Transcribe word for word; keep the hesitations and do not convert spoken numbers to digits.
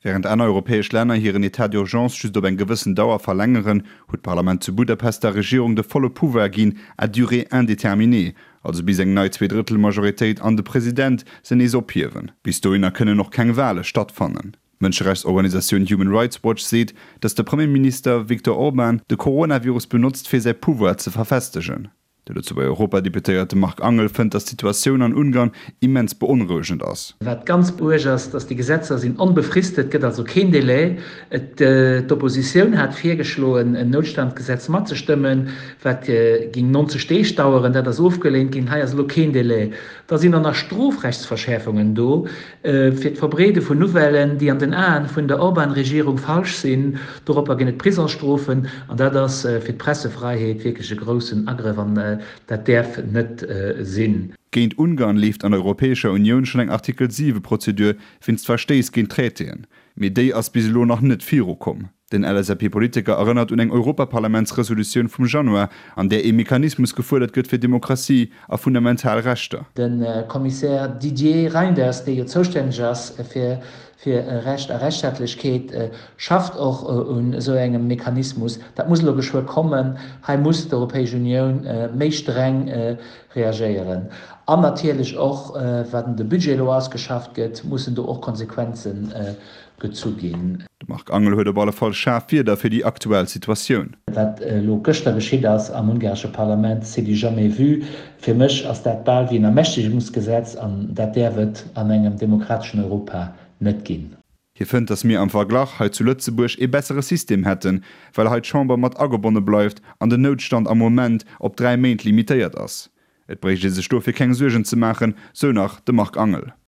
Wärend aner europäesch Länner hiren État d'urgence just op eng gewëssen Dauer verlängeren, huet d'Parlament zu Budapest der Regierung de volle Pouvoir ginn à durée indéterminée, also bis eng nei Zweedrëttelmajoritéit an de President se nees ophiewen. Bis dohinner kënnen och keng Wale stattfannen. D'Mënscherechtsorganisatioun Human Rights Watch seet, datt de Premierminister Viktor Orban de Coronavirus benotzt fir säi Pouvoir ze verfestegen. De Lëtzebuerger Europadeputéierte Marc Angel fënnt, datt d'Situatioun an Ungarn immens beonrouegend ass. Wat ganz uerg ass, datt déi Gesetzer sinn onbefristet, et gëtt also keen Delai. D'Oppositioun hat virgeschloen, en Noutstandsgesetz matzestëmmen, wat géing neunzeg Deeg daueren. Dat ass ofgeleent ginn. Hei ass elo keen Delai. Da sinn och nach Strofrechtsverschäerfungen do fir d'Verbreede vun Nouvellen, déi an den Aen vun der Orban-Regierung falsch sinn. Doropper ginn et Prisongsstrofen. An dat ass fir d'Pressefräiheet wierklech e groussen Agrëff an dat däerf net sinn. Géint Ungarn leeft an der Europäescher Unioun schonn eng Artikel siwe Prozedur wéinst Verstéiss géint Traitéen, mee déi ass bis elo nach net virukomm. Den L S A P-Politiker erënnert un eng Europaparlamentsresolutioun vum Januar, an där ee Mechanismus gefuerdert gëtt fir Demokratie a fundamental Rechter. De Kommissär Didier Reynders, dee jo zoustänneg ass fir fir Recht a Rechtsstaatlechkeet, schafft och un esou engem Mechanismus. Dat muss elo geschwë kommen. Hei muss d'Europäesch Unioun méi streng reagéieren. An natierlech och, wann de Budget elo ausgeschafft gëtt, mussen do och Konsequenze gezu ginn. De Marc Angel huet op alle Fall schaarf Wierder fir déi aktuell Situatioun. Wat elo gëschter geschitt ass am ungaresche Parlament, c'est du jamais vu. Fir mech ass dat bal wéi en Ermächtegungsgesetz an dat däerf et an engem demokrateschen Europa net ginn. Hie fënnt, datt mir am Verglach hei zu Lëtzebuerg ee bessere System hätten, well hei d'Chamber mat agebonne bleift an den Noutstand am Moment op dräi Méint limitéiert ass. Et bréicht ee sech dofir keng Suergen ze maachen, sou nach de Marc Angel.